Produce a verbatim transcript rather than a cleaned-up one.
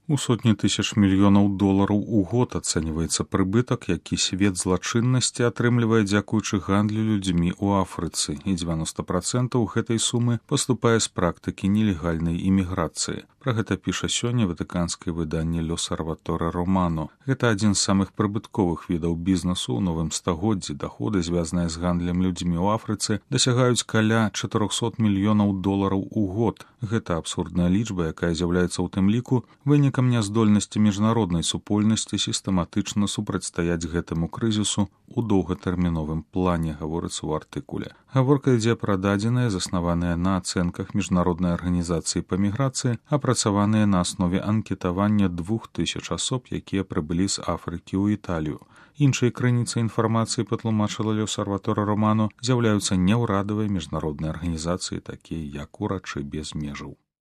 У сотні тысяч мільёнаў долараў у год ацэньваецца прыбытак, які свет злачыннасці атрымлівае дзякуючы гандлю людзьмі ў Афрыцы, і дзевяноста працэнтаў гэтай сумы паступае з практыкі нелегальнай іміграцыі. Пра гэта піша сёння ватыканскае выданне «L'Osservatore Romano». Гэта адзін з самых прыбытковых відаў бізнесу ў новым стагоддзі. Даходы, звязаныя з гандлем людзьмі ў Афрыцы, дасягаюць каля чатырохсот мільёнаў долараў у год. Гэта абсурдная лічба, якая з'яўляецца ў тым ліку вынікам няздольнасці міжнароднай супольнасці сістэматычна супрацьстаяць гэтаму крызісу ў доўгатэрміновым плане, гаворыцца ў артыкуле. Гаворка ідзе пра дадзеныя, заснаваныя на ацэнках міжнароднай арганізацыі па міграцыі, апрацаваныя на аснове анкетавання двух тысяч асоб, якія прыбылі з Афрыкі ў Італію. Іншай крыніцай інфармацыі, патлумачыла «L'Osservatore Romano», з'яўляюцца няўрадавыя міжнародныя арганізацыі, такія як «Урачы без межаў».